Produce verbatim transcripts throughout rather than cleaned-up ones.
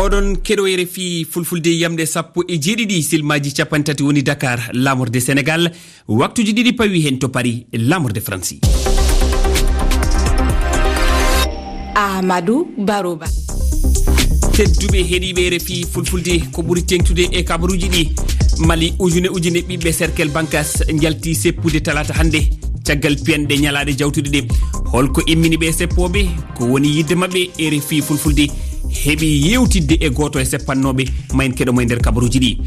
Oɗon keɗo R F I Fulfulde, yamɗe sappo e jeeɗiɗi, silmaaji capanɗe tati woni Dakar, laamorde Senegal. Waktuuji ɗiɗi pawi heen to Paris, laamorde Faransi. Amadou Baroba. Tedduɓe heɗiiɓe R F I Fulfulde, ko ɓuri teeŋtude e kabaruuji ɗi, Mali, ujune ujune ɓiɓɓe cercle Bankas njalti seppude talaata hannde, caggal piyanɗe ñalaaɗe jawtuɗe ɗe. Holko immini ɓe seppooɓe? Ko woni yiɗde maɓɓe? R F I Fulfulde heɓi yeewtidde e gooto e seppannooɓe, ma en keɗo mo e nder kabaruuji ɗi.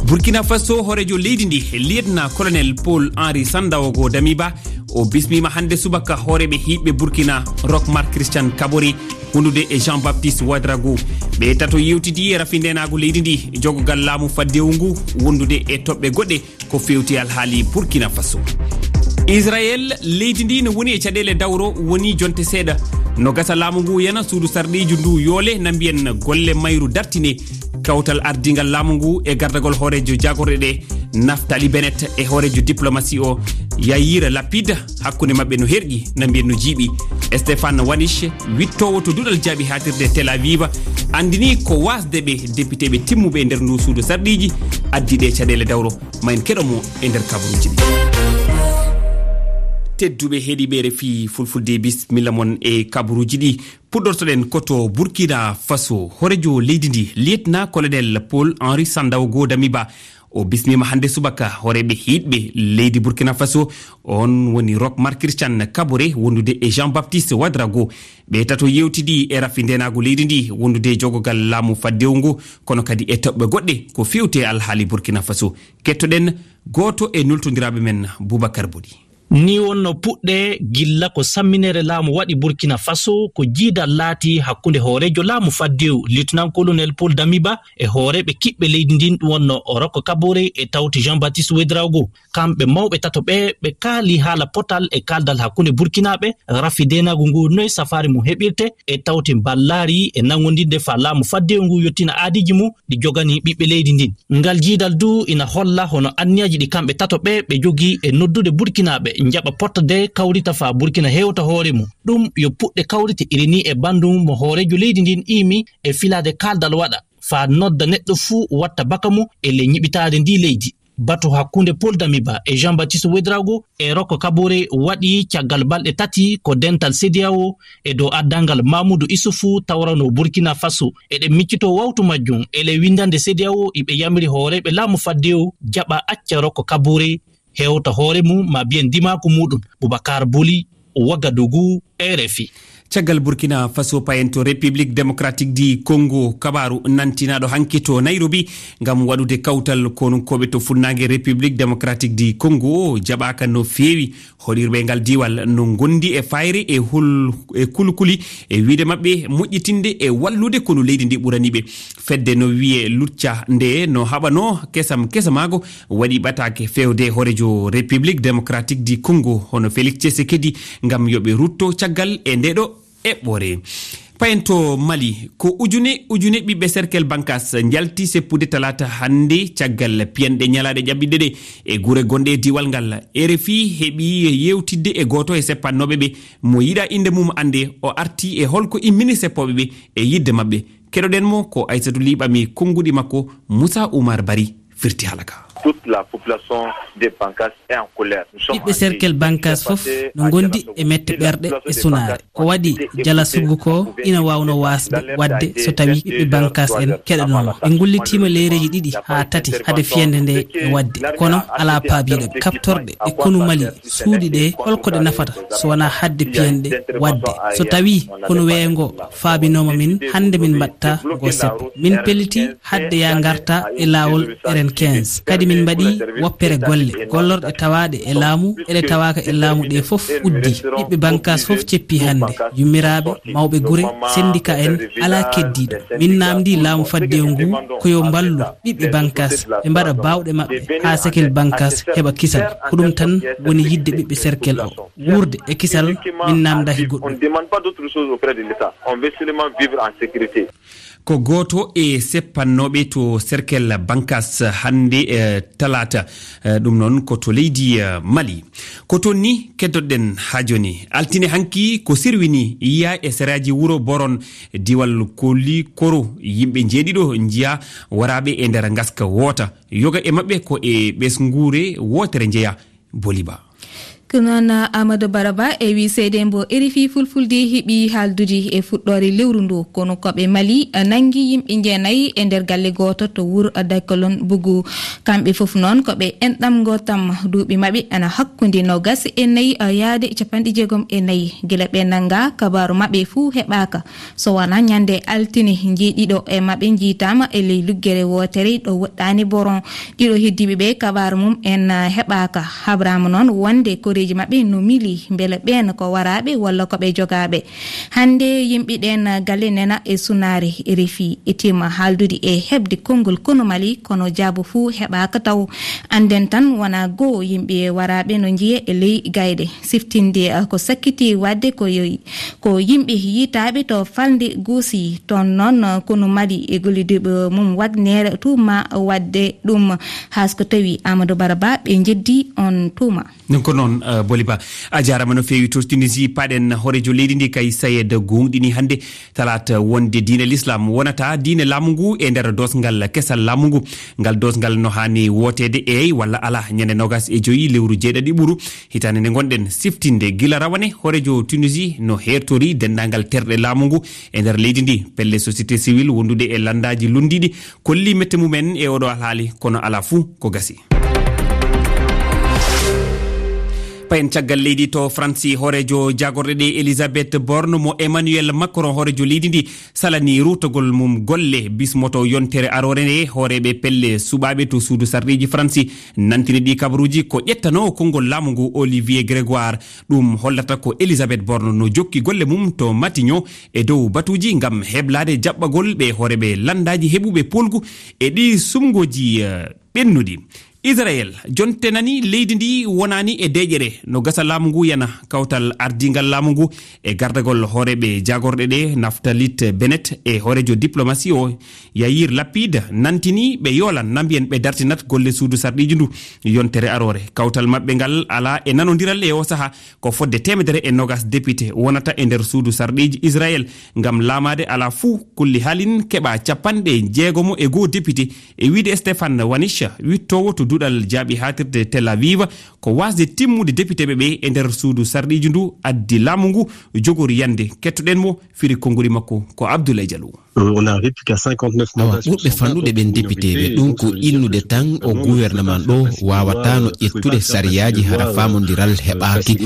Burkina Faso, hooreejo leydi ndi, Lieutenant Colonel Paul Henri Sandaogo Damiba, o bismiima hannde subaka hooreeɓe hiiɓɓe Burkina, Roch Marc Christian Kaboré, wondude e Jean-Baptiste Ouedraogo. Ɓe tato yeewtidi e rafi ndeenaagu leydi ndi, jogogal laamu faddewu ngu, wondude e toɓɓe goɗɗe ko feewti alhaali Burkina Faso. Israel, leydi ndi no woni e caɗeele dawro, woni jonte seeɗa no gasa laamu ngu yana suudu sarɗiiji ndu yoole, na mbiyen golle mayru dartine. Kawtal ardingal laamu ngu e gardagol hooreejo jaagorɗe ɗe, Naftali Bennett, e hooreejo diplomasi o, Yair Lapid, hakkunde maɓɓe no herƴi, na mbiyen no jiiɓi. Stéphane Wanich, wittoowo to duɗal jaaɓi haatirde Tel Aviv, anndini ko waasde ɓe depiteeɓe timmuɓe e nder ndu suudu sarɗiiji addi ɗe caɗeele dawro. Ma en keɗo mo e nder kabaruuji ɗi. Tedduɓe heɗiiɓe R F I Fulfulde, bismilla mon e kabaruuji ɗi. Puɗɗortoɗen ko to Burkina Faso. Hooreejo leydi ndi, Lieutenant Colonel Paul Henri Sandaogo Damiba, o bismiima hannde subaka hooreeɓe hiiɗɓe leydi Burkina Faso. On woni Roch Marc Christian Kaboré, wondude e Jean-Baptiste Ouedraogo. Ɓe tato yeewtidi e rafi ndeenaagu leydi ndi, wondude e jogogal laamu faddewu ngu, kono kadi e toɓɓe goɗɗe ko feewti e alhaali Burkina Faso. Kettoɗen gooto e nultondiraaɓe men, Boubacar Boli. Ni wonno puɗɗe gilla ko samminere laamu waɗi Burkina Faso, ko jiidal laati hakkunde hooreejo laamu faddewu, Lieutenant Colonel Paul Damiba, e hooreeɓe kiɓɓe leydi ndin, ɗum wonno Roch Kaboré e tawti Jean-Baptiste Ouedraogo. Kamɓe mawɓe tato ɓe, ɓe kaali haala potal e kaaldal hakkunde Burkinaaɓe, rafi deenaagu ngu, noy safaari mum heɓirte e tawti mballaari e nanngondinde faa laamu faddewu ngu yottina aadiiji mum ɗi joganii ɓiɓɓe leydi ndin. Ngal jiidal du ina holla hono anniyaaji ɗi kamɓe tato ɓe ɓe jogii e noddude Burkinaaɓe njaɓa pottade kawrita faa Burkina hewta hoore mum. Ɗum yo puɗɗe kawrite iri ni e banndum mo hooreejo leydi ndin iimi e filaade kaaldal waɗa faa nodda neɗɗo fuu watta baka mum e ley ñiɓitaade ndi leydi. Batu hakkunde Paul Damiba e Jean-Baptiste Ouedraogo e Roch Kaboré waɗi caggal balɗe tati ko dental CEDEAO e dow addanngal Mamoudou Issoufou tawranoo Burkina Faso. Eɗen miccitoo wawtu majjum e ley winndannde CEDEAO, iɓe yamiri hooreeɓe laamu faddewu jaɓa acca Roch Kaboré hewta hoore mum, ma mbiyen ndimaagu muuɗum. Boubacar Boli, Ouagadougou, R F I. Caggal Burkina Faso, payen to République Démocratique du Congo, kabaaru nantinaaɗo hanki to Nairobi ngam waɗude kawtal konunkooɓe to funnaange République Démocratique du Congo jaɓaaka no feewi. Hoɗirɓe ngal diiwal no ngondi e fayre e hul-, e kulkuli e wiide maɓɓe moƴƴitinde e wallude konu leydi ndi ɓurani ɓe. Fedde no wiye Lucca nde no haɓanoo kesam kesamaago waɗi ɓataake fewde hooreejo République Démocratique du Congo hono Félix Tshisekedi ngam yo ɓe rutto caggal e nde ɗo eɓɓore. Payen to Mali, ko ujune ujune ɓiɓɓe cercle Bankas njalti seppude talaata hannde caggal piyanɗe ñalaaɗe ƴaɓɓiɗe ɗe e gure gonɗe e diiwal ngal. R F I heɓi yeewtidde e gooto e seppannooɓe ɓe mo yiɗa innde mum annde, o arti e holko immini seppooɓe ɓe e yiɗde maɓɓe. Keɗoɗen mo ko Aysatu Liɓami, konnguɗi makko Moussa Oumar Bari firti haala ka. Toute la population de Bankas est en colère. Ɓiɓɓe cercle Bankas fof no ngondi e mette ɓerɗe e sunaare. Ko waɗi jala sugu ko ina waawno waasde waɗde so tawi ɓiɓɓe Bankas en keɗanooma. Ɓe ngullitiima leereeji ɗiɗi haa tati hade fiyande nde e waɗde, kono alaa paabiiɗo ɓe. Kaɓtorɗe e konu Mali suuɗi ɗe, holko ɗe nafata so wonaa haɗde piyanɗe waɗde? So tawi konu weeyo ngo faabinooma min, hannde min mbaɗta ngo seppo. Min pelliti haɗde yaa ngarta e laawol R N quinze. Kadi min mbaɗi woppere golle. Gollorɗe tawaaɗe e laamu e ɗe tawaaka e laamu ɗe fof uddi. Ɓiɓɓe Bankas fof ceppi hannde. Yummiraaɓe, mawɓe gure, sendika en, alaa keddiiɗo. Min naamndii laamu faddewu ngu ko yo mballu ɓiɓɓe Bankas, ɓe mbaɗa baawɗe maɓɓe haa sekel Bankas heɓa kisal. Ko ɗum tan woni yiɗde ɓiɓɓe cercle o. Wuurde e kisal, min naamndaaki goɗɗum. On demande pas d'autre chose auprès de l'État. On veut seulement vivre en sécurité. Ko gooto e seppannooɓe to Serkel Bankas hannde, eh, talaata, eh, ɗum noon ko to leydi, eh, Mali. Ko toon ni keddoɗen haa jooni. Altine hanki ko sirwini yiya e seraaji wuro Boron, diwal Koli Koro, yimɓe njeeɗiɗo njiya waraaɓe e nder ngaska woota. Yoga e maɓɓe ko e ɓesnguure wootere njeya. Boliba. Ko noon, Amadou Baraba e wi seedembo R F I Fulfulde heɓi haaldude e fuɗɗoore lewru ndu, kono ko ɓe Mali nanngi yimɓe jeenayi e nder galle gooto to wuro Dakolon Bugu. Kamɓe fof noon ko ɓe enɗam ngootam, duuɓi maɓɓe ana hakkunde noogas e nayi yaade capanɗe jeegom e nayi. Gila ɓe nannga, kabaaru maɓɓe fuu heɓaaka. So wonaa ñande altine, njeeɗiɗo e maɓɓe njiitaama e ley luggere wootere ɗo woɗɗaani Boron. Ɗiɗo heddiiɓe ɓe, kabaaru mum en, ah, heɓaaka. Habraama noon wonde koreeji maɓɓe no mili, mbele ɓeen ko waraaɓe walla ko ɓe jogaaɓe. Hannde yimɓe ɗeen galle nena e sunaare R F I. Etiima haaldude e heɓde konngol konu Mali, kono jaabo fuu heɓaaka taw. Annden tan wonaa goo yimɓe waraaɓe no njiye e ley gayɗe. Siftinde, ah, ko sakkiti waɗde ko yo-, ko yimɓe yiytaaɓe to falnde Goosi. Toon noon, ah, konu Mali e gollidiiɓe mum Wagner tuuma waɗde ɗum, haa so ko tawi Amadou Baraba ɓe njeddi oon tuuma. Ɗum ko noon, eh, Boliba. A jaaraama no feewi. To Tunisie, paɗen hooreejo leydi ndi kay Sayed gooŋɗini hannde talaata wonde diine Lislaam wonata diine laamu ngu e nder doosngal kesal laamu ngu. Ngal doosngal no haani wooteede eey walla alaa ñande noogas e joy lewru jeeɗaɗi ɓuru hitaande nde ngonɗen. Siftinde gila rawane, hooreejo Tunisie no heertori denndaangal terɗe laamu ngu e nder leydi ndi. Pelle société civile wondude e lanndaaji lunndiiɗi kolli mette mumen e oɗo alhaali, kono alaa fuu ko gasi. Payen caggal leydi to Faransi, hooreejo jaagorɗe ɗe Elisabeth Borne mo Emmanuel Macron, hooreejo leydi ndi, salani ruttagol mum golle bismoto yontere aroore nde hooreeɓe pelle suɓaaɓe to suudu sarɗiiji Faransi. Nantini ɗi kabaruuji ko ƴettanoowo konngol laamu ngu Olivier Grégoire. Ɗum hollata ko Elisabeth Borne no jokki golle mum to Matignon e dow batuuji ngam heblaade jaɓɓagol ɓe hooreeɓe lanndaaji heɓuɓe poolgu e ɗi sumngooji, eh, ɓennuɗi. Israel jontenani leydi ndi wonaani e deeƴere no gasa laamu ngu yana kawtal ardiingal laamu ngu e gardagol hooreeɓe jaagorɗe ɗe Naftalit Bennett e hooreejo diplomasi o Yair Lapid nantini ɓe yoolan na mbiyen ɓe dartinat golle suudu sarɗiiji ndu yontere aroore. Kawtal maɓɓe ngal alaa e nanondiral e o saha. Ko fodde teemedere e nogas depite wonata e nder suudu sarɗiiji Israel ngam laamaade alaa fuu kulli haalin keɓa capanɗe jeegomo e goo depite, e wiide Stéphane Wanich, wittoowo to duɗal jaaɓi haatirde Tel Aviv, ko waasde timmude depiteɓe ɓe e nder suudu sarɗiiji ndu addi laamu ngu jogori yande. Kettoɗen mo, firi konnguli makko ko Abdoulaye Diallo. Awa, ɓurɓe fanɗude ɓen depiteeɓe, ɗum ko innude tan o gouvernement ɗo waawataano ƴettude sariyaaji hara faamondiral heɓaaki,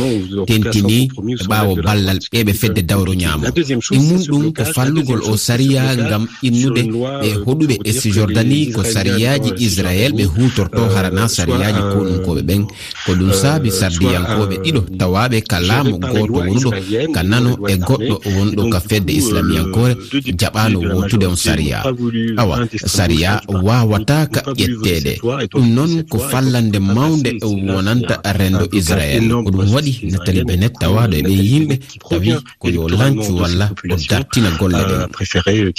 tentini ɓaawo ballal ɓe ɓe fedde dawro ñaamo. Ɗimmun ɗum ko fallugol o sariya ngam innude ɓe hoɗuɓe e Cisjordanie ko sariyaaji Israel ɓe huutorto harana sariyaaji konunkooɓe ɓen. Ko ɗum saabi sardiyankooɓe ɗiɗo tawaaɓe ka laamu gooto wonuɗo ka nano e goɗɗo wonɗo ka fedde islamiyankoore jaɓaano wootude on sariya. Awa, sariya waawataa ka ƴetteede. Ɗum noon ko fallande mawnde wonanta renndo Israel. Ko ɗum waɗi Nathalie Bennett tawaaɗo e ɓee yimɓe tawi ko yo lancu walla o dartina golle ɗen.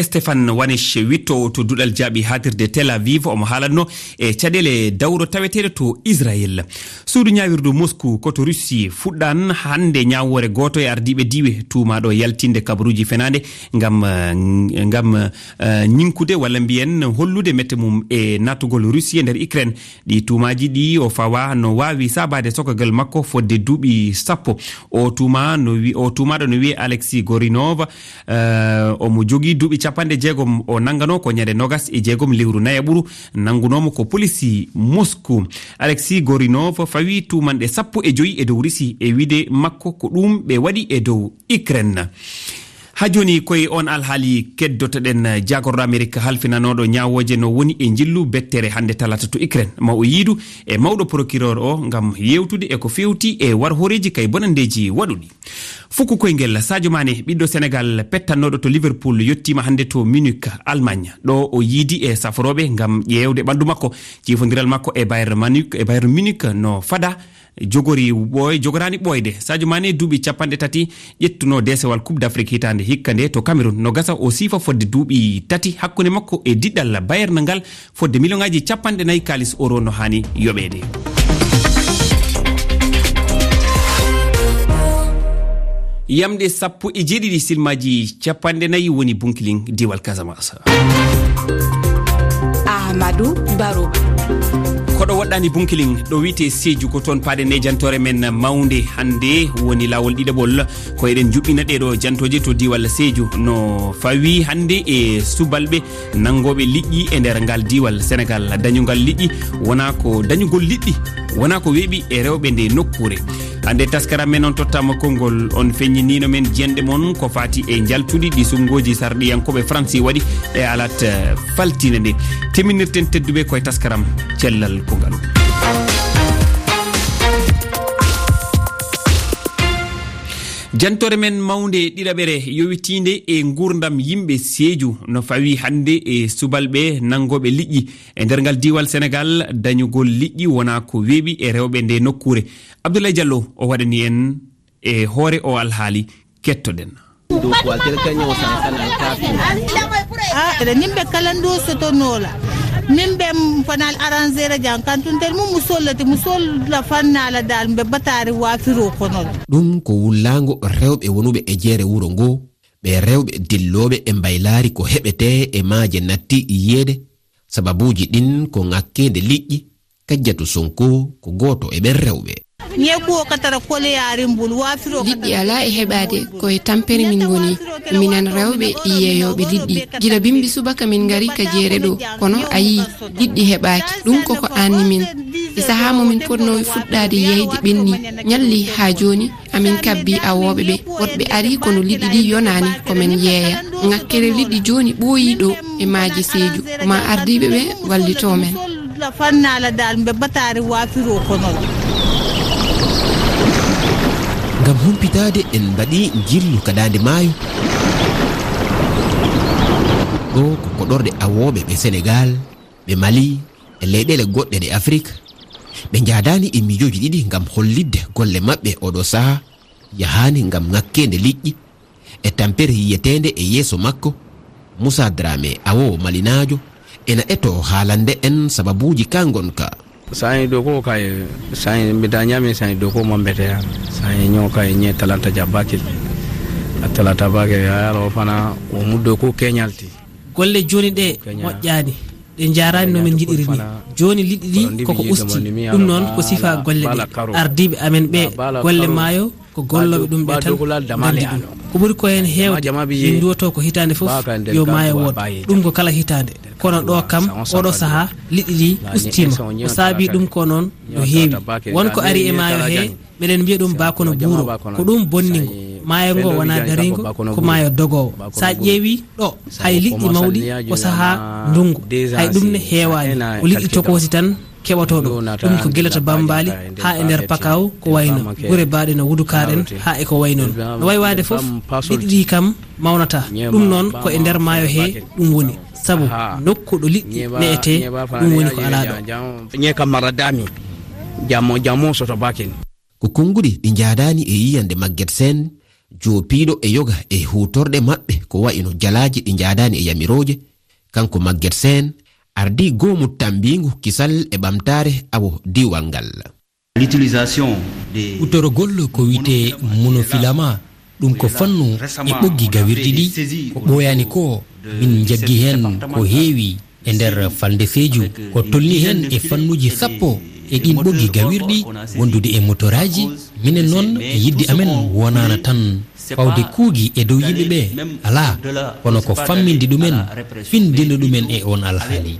Stéphane Wanich, wittoowo to duɗal jaaɓi haatirde Tel Aviv, omo haalatno e caɗeele dawro taweteeɗe to Israel. Suudu ñaawirdu Moscou ko to Russie fuɗɗan hannde ñaawoore gooto e ardiiɓe diiwe tuumaaɗo yaltinde kabaruuji fenaande ngam, eh, ngam, eh, ñiŋkude walla mbiyen hollude mette mum e naatugol Russie e nder Ukraine. Ɗi tuumaaji ɗi o fawa no waawi saabaade sokagol makko fodde duuɓi sappo. O tuuma no wi-, o tuumaaɗo no wiyee Alexis Gorinov. Eh, omo jogii duuɓi capanɗe jeegom. O nannganoo ko ñande nogas e jeegom lewru nayaɓuru. Nanngunoomo ko polisi Moscou. Alexis Gorinov fawi tuumanɗe sappo e joy e dow Russie e wiide makko ko ɗum ɓe waɗi e dow Ukraine. Haa jooni, ko e oon alhaali keddotoɗen jaagorɗo Amerik halfinanooɗo ñaawooje no woni e njillu bettere hannde talaata to Ukraine. Ma o yiidu e mawɗo procureur o ngam yeewtude e ko feewti e war hooreeji kay bonanndeeji waɗuɗi. Fukku koyngel, Sadio Mané, ɓiɗɗo Senegal pettannooɗo to Liverpool, yettiima hannde to Munich, Allemagne. Ɗo o yiidi e saforooɓe ngam ƴeewde ɓanndu makko. Ciifondiral makko e Bayern Munich, e Bayern Munich no fada Jogori ɓooy-, jogoraani ɓooyde. Sadio Mané, duuɓi capanɗe tati, ƴettuno deesewal Coupe d'Afrique hitaande hikka nde to Cameroun. No gasa o siifa fodde duuɓi tati hakkunde makko e diɗɗal Bayern ngal, fodde miliyoŋaaji capanɗe nayi kaalis euro no haani yoɓeede. Yamɗe sappo e jeeɗiɗi, silmaaji capanɗe nayi woni Bunkilin, diiwal Casamance. Amadou Baro. Koɗo woɗɗaani Bunkilin, ɗo wiyetee Sédhiou, ko toon paaɗen e jantoore men mawnde hannde, woni laawol ɗiɗaɓol. Ko eɗen njuɓɓina ɗee ɗoo jantooje to diiwal Sédhiou, no fawii hannde e subalɓe nanngooɓe liƴƴi e nder ngal diiwal. Senegaal, dañungal liƴƴi wonaa ko dañugol liɗɗi, wonaa ko weeɓi e rewɓe nde nokkuure. Hannde taskaram men on tottaama konngol, on feññiniino men jiyanɗe mon ko faati e njaltudi ɗi sunngooji sarɗiyankooɓe Faransi waɗi e alat, eh, faltiinde nde. Timminirten tedduɓe koye taskaram cellal ko ngal. Jantoore men mawnde ɗiɗaɓere yowitiinde e nguurndam yimɓe Sédhiou no fawii hannde e subalɓe nanngooɓe liƴƴi e nder ngal diiwal Senegaal. Dañugol liƴƴi wonaa ko weeɓi e rewɓe nde nokkuure. Abdoulaye Diallo o waɗani en e hoore o alhaali, kettoɗen. Ah, eɗen nimɓe kala ndo sotonoola. Min ɓe m-, fanal arrangere jan kantuntel mum, mu sollete, mu solla fannala dal, mbe batari wafiro konol. Ɗum ko wullaango rewɓe wonuɓe e jeere wuro ngo, ɓe rewɓe dillooɓe e mbaylaari ko heɓetee e maaje natti yiyeede, sababuuji ɗin ko ŋakkeende liƴƴi, Kajjatu Sonko ko gooto e ɓen rewɓe. Ñeeku o katara kole yaari mbul, waafiro liɗɗi katara alaa e heɓaade, ko e tampere min ngoni. Minen rewɓe yeeyooɓe liɗɗi. Gila bimbi subaka min ngari ka jeere ɗo, kono a yii, liɗɗi heɓaaki. Ɗum ko ko aanni min. E sahaa mo min potnoo fuɗɗaade yeeyde ɓenni, ñalli haa jooni, amin kabbi awooɓe ɓe. Woɗɓe ari kono liɗɗi ɗi yonaani, ko men yeeya. Ŋakkere liɗɗi jooni ɓooyii ɗo e maaje Seeju. Ko ma ardiiɓe ɓe wallitoo men. Fannaala dal mbe bataari waafiroo kono. Ngam humpitaade, en mbaɗi njillu ka daande maayo. Ɗo ko koɗorɗe awooɓe ɓe Senegaal, ɓe Mali, e leyɗeele goɗɗe ɗe Afrik. Ɓe njaadaani e miijooji ɗiɗi ngam hollitde golle maɓɓe oɗo sahaa yahaani ngam ŋakkeende liƴƴi. E tampere yiyeteende e yeeso makko, Moussa Dramé, awoowo malinaajo, ena etoo haalande en sababuuji ka ngonka. Sa'i ɗo ko kay, sa'i mbiɗa ñaami, sa'i ɗo ko mambete ya. Sa'i ñoo kay ñe talanta jabbaki. A talata bake ya yaro fana o muddo ko keñalti. Golle jooni ɗe moƴƴaani. Ɗe njaaraani no min njiɗiri ni. Jooni liɗɗi ɗi koko usti. Ɗum noon ko sifa golle ɗe. Ardiiɓe amen ɓe golle maayo ko gollooɓe ɗum ɓe tan nganndi ɗum. Ko ɓuri ko heen heewde, min nduwotoo ko hitaande fof yo maayo wood. Ɗum ko kala hitaande. Kono ɗo kam, oɗo sahaa, liɗɗi ɗi ustiima. Ko saabii ɗum ko noon no heewi. Won ko ari e maayo he, meɗen mbiya ɗum baakono buuro. Ko ɗum bonni ngo. Maayo ngo wonaa daringo, ko maayo dogoowo. So a ƴeewii ɗo, hay liɗɗi mawɗi ko sahaa ndunngu. Hay ɗum ne heewaani. Ko liɗɗi tokoosi tan keɓotoo ɗo. Ɗum ko gila to Bambaali haa e nder Pakaaw, ko wayno gure baaɗe no Wudukaar en haa e ko way noon. No way waade fof, liɗɗi ɗi kam mawnataa. Ɗum noon ko e nder maayo he ɗum woni. Sabu nokku ɗo liɗɗi ne'etee, ɗum woni ko alaa ɗo. Ñe kam mara dami. Jamo, jamo soto bakin. Ko konnguɗi ɗi njaadaani e yiyannde Maguette Sène, joopiiɗo e yoga e huutorɗe maɓɓe ko wayi no jalaaji ɗi njaadaani e yamirooje. Kanko Maguette Sène ardii goomu tammbiingu kisal e ɓamtaare awo diiwal ngal. L'utilisation des Huutorgol ko wiyetee monofilament, ɗum ko fannu e ɓoggi gawirɗi ɗi, ko ɓooyaani ko, min njaggi heen ko heewi. E nder falnde Seeju, ko tolni heen e fannuuji sappo e ɗiin ɓoggi gawirɗi wondude e motoraaji. Minen noon, yiɗde amen wonaana tan fawde kuugi e dow yimɓe ɓe, alaa, kono ko famminde ɗumen, findinde ɗumen e oon alhaali.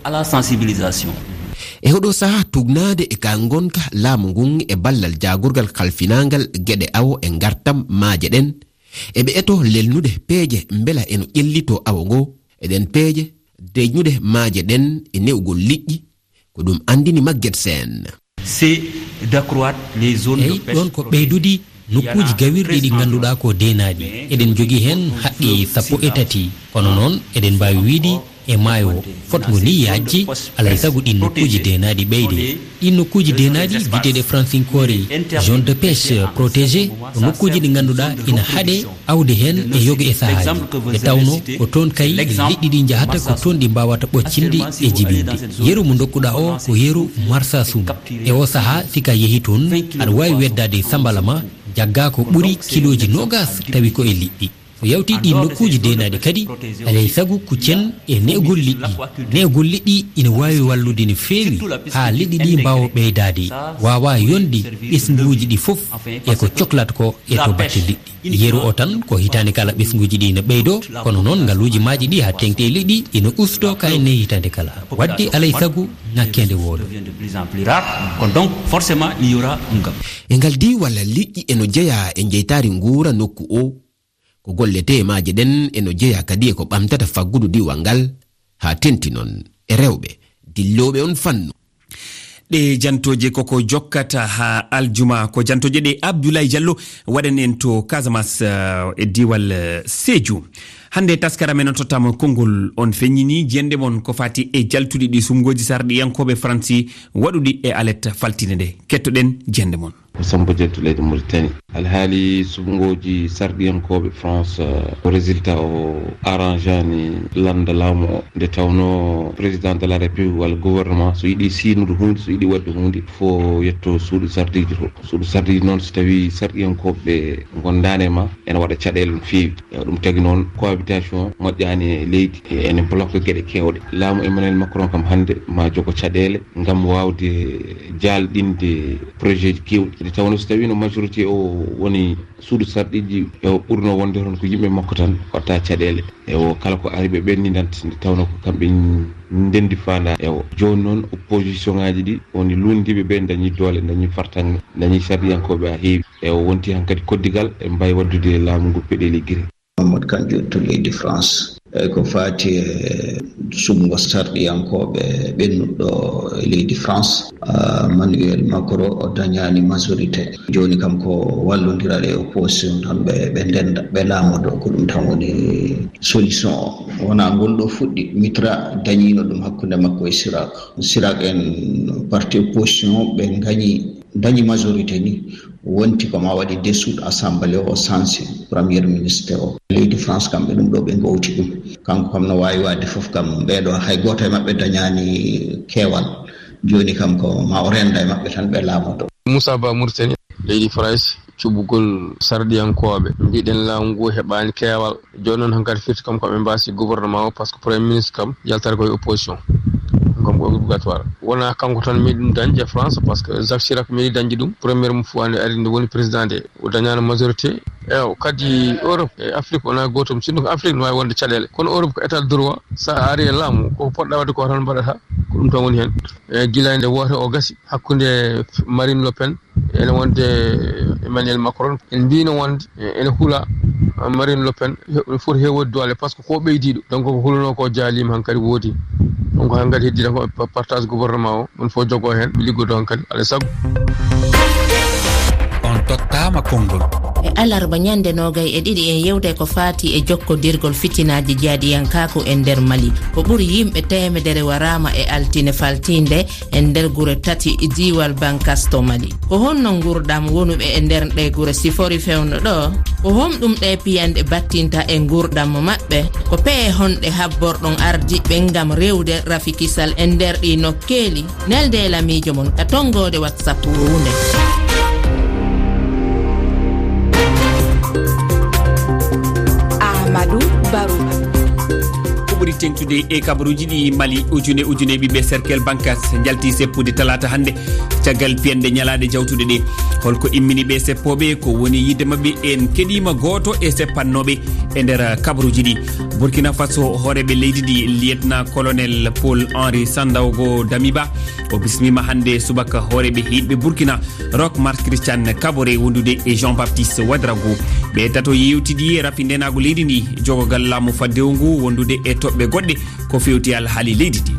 E oɗo sahaa, tugnaade e ka ngonka laamu ngun e ballal jaagorgal kalfinaangal geɗe awo e ngartam maaje ɗen, eɓe eto lelnude peeje mbela eno ƴellitoo awo ngo. E ɗen peeje, deeƴnude maaje ɗen e ne'ugol liƴƴi, ko ɗum anndini Maguette Sène. C'est d'accroître les zones de pêche protégées. Eyi, ɗon ko ɓeydude nokkuuji gawirɗi ɗi ngannduɗaa ko deenaaɗi. Eɗen njogii heen haqqi sappo e tati. Kono noon, eɗen mbaawi wiyde E maayo o, fotngo ni yaajde, alaa e sago ɗiin nokkuuji deenaaɗi ɓeyde. Ɗiin nokkuuji deenaaɗi, biyeteeɗe fransinkoore zone de pêche protégée, ko nokkuuji ɗi ngannduɗaa ina haaɗe awde heen e yoga e sahaaji. Nde tawnoo ko toon kay liɗɗi ɗi njahata, ko toon ɗi mbaawata ɓoccinde e jibinde. Yeru mo ndokkuɗaa o ko yeru Marsassoum. E o sahaa, si ka yehi toon, aɗa waawi weddaade sambala ma, jaggaa ko ɓuri kilooji noogaas, tawi ko e liɗɗi. So yawtii ɗiin nokkuuji deenaaɗi kadi, alaa e sago kuccen e ne'egol liɗɗi. Ne'egol liɗɗi ina waawi wallude no feewi haa liɗɗi ɗi mbaawa ɓeydaade, waawa yonde ɓesnguuji ɗi fof e ko coklat ko e to batte liɗɗi. Yeru o tan, ko hitaande kala ɓesnguuji ɗi ina ɓeydoo, kono noon ngaluuji maaji ɗi haa teeŋti e liɗɗi ina ustoo ka enne hitaande kala. Waɗde alaa e sago ŋakkeende wooda. E ngal diiwal, liƴƴi eno jeyaa e jeytaari nguura nokku o. Ko golletee e maaje ɗen eno jeyaa kadi e ko ɓamtata faggudu diiwal ngal, haa teeŋti noon e rewɓe dillooɓe on fannu. Ɗe jantooje koko jokkata haa aljuma. Ko jantooje ɗe Abdoulaye Diallo waɗani en to Casamance, eh, e diiwal, eh, Sédhiou. Hannde taskara men on tottaama konngol, on feññini jiyannde mon ko faati e jaltuɗi ɗi suɓngooji sarɗiyankooɓe Faransi waɗuɗi e alet faltiinde nde. Kettoɗen jiyannde mon. Ko Samba Dieng to leydi Mauritanie. Alhaali suɓngooji sarɗiyankooɓe France, eh, ko résultat o arrangeani lannda laamu o. Nde tawnoo président de la République walla gouvernement, so yiɗi siynude huunde, so yiɗi waɗde huunde, fof yetto suudu sarɗiiji to. Suudu sarɗiiji noon, so tawii sarɗiyankooɓe ngondaani e ma, ene waɗa caɗeele no feewi. Ewa, ɗum tagi noon, cohabitation moƴƴaani e leydi, e ene bloque geɗe keewɗe. Laamu Emmanuel Macron kam hannde ma jogo caɗeele ngam waawde jaalɗinde projet ji keewɗi. Nde tawnoo, so tawii no majorité o woni suudu sarɗiiji, ewa, ɓurno wonde toon ko yimɓe makko tan watta caɗeele. Ewa, kala ko ari ɓe ɓenndinanta, nde tawnoo ko kamɓe ndenndi faandaare. Ewa, jooni noon opposition ŋaaji ɗi woni luulndiiɓe ɓe, ndañi doole, ndañi fartaŋŋe, ndañi sarɗiyankooɓe haa heewi. Ewa, wonti hankadi koddigal, ɓe mbaawi waɗdude laamu ngu peɗeeli giri. Mamadou Kandji to leydi France. E ko faati e suɓngo sarɗiyankooɓe ɓennuɗo e leydi France, ah, Emmanuel Macron o dañaani majorité. Jooni kam ko wallondiral e opposition tan ɓe, ɓe ndennda, ɓe laamodo. Ko ɗum tan woni solution o. Wonaa ngol ɗo fuɗɗi. Mitterrand dañiino ɗum hakkunde makko e Chirac. Chirac en parti opposition ɓe ngañi, dañi majorité ni. Wonti ko ma waɗi dissoudre assemblée o, sansi premier ministre o. Leydi France kam ɓe ɗum ɗo ɓe ngowti ɗum. Kanko kam no waawi waɗde fof kam, ɓeeɗo hay gooto e maɓɓe dañaani keewal. Jooni kam ko ma o renda e maɓɓe tan ɓe laamoto. Moussa Ba Mauritanie, leydi France, cuɓugol sarɗiyankooɓe. Mbiɗen laamu ngu heɓaani keewal. Jooni noon hankadi firti kam ko ɓe mbaasi gouvernement o, par ce que premier ministre kam yaltata ko e opposition. Ɗum kam ko obligatoire. Wonaa kanko tan meeɗi ɗum dañde e France, par ce que Jacques Chirac meeɗi dañde ɗum. Premier mum fof ande ari nde woni président de, o dañaano majorité. Ewa, kadi Europe e Afrique wonaa gootum. Sinno ko Afrique no waawi wonde caɗeele. Kono Europe ko état de droit. Sa ari e laamu, ko poɗɗa waɗde ko tan mbaɗata. Ko ɗum tan woni heen. E gila nde woote o gasi hakkunde Marine Le Pen ene wonde Emmanuel Macron. En mbino wonde ene hula Marine Le Pen, he-, foti heewde doole, par ce que ko ɓeydiiɗo. Donc ko hulunoo ko jaaliima hankadi woodi. Donc hankadi heddi tan ko pa-, partage gouvernement o, on fof jogoo heen, ɓe liggodoo hankadi, alaa e sago. On tottaama konngol. E alarba ñande noogay e ɗiɗi en yewtay ko faati e jokkodirgol fitinaaji jihadiyankaaku e nder Mali. Ko ɓuri yimɓe teemedere waraama e altine faltiinde e nder gure tati diiwal Bankas to Mali. Ko honno nguurndam wonuɓe e nder ɗe gure sifori fewndo ɗo? Ko honɗum ɗe piyanɗe battinta e nguurndam maɓɓe? Ko pehe honɗe habborɗon ardiiɓe ngam rewde rafi kisal e nder ɗi nokkeeli? Nelde e lamiijo mon ka tonngoode WhatsApp wuurnde. Amadou Barou. Ko ɓuri teeŋtude e kabaruuji ɗi, Mali, ujune ujune ɓiɓɓe cercle Bankas njalti seppude talaata hannde. Caggal piyanɗe ñalaaɗe jawtuɗe ɗe, holko immini ɓe seppooɓe? Ko woni yiɗde maɓɓe? En keɗiima gooto e seppannooɓe e nder kabaruuji ɗi. Burkina Faso, hooreeɓe leydi ndi, lieutenant colonel Paul Henri Sandaogo Damiba, o bismiima hannde subaka hooreeɓe hiiɗɓe Burkina, Roch Marc Christian Kaboré wondude e Jean Baptiste Ouedraogo. Ɓe tato yewtidi e rafi ndenaagu leydi ndi, jogogal laamu faddewu ngu wondude e toɓɓe goɗɗe, ko fewti alhaali leydi ndi.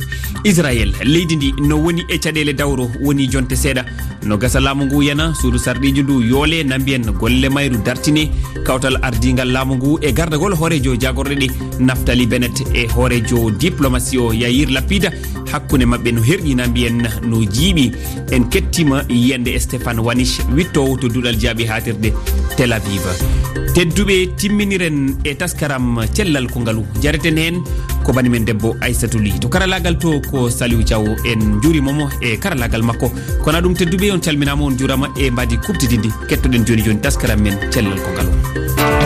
Israel, leydi ndi no woni e caɗeele dawro woni jonte seeɗa. No gasa laamu ngu yana, suudu sarɗiiji ndu yoole, na mbiyen golle mayru dartine, kawtal ardiingal laamu ngu e gardagol hooreejo jaagorɗe ɗe, Naftali Bennett, e hooreejo diplomasi o, Yair Lapida, hakkunde maɓɓe no herƴi, na mbiyen no jiiɓi. En kettima yiyande Stéphane Wanich, wittoowo to duɗal jaaɓi haatirde Tel Aviv. Tedduɓe, timminiren e taskaram cellal ko ngalu. Jareten heen ko bani men debbo Aissatou Ly. To karalaagal to ko Saliou Thiaw, en njuuriima mo e karalaagal makko. Kono ɗum, tedduɓe, on calminaama, on njuuraama e mbaadi kuɓtididi. Kettoɗen jooni jooni taskaram men cellal ko ngalu.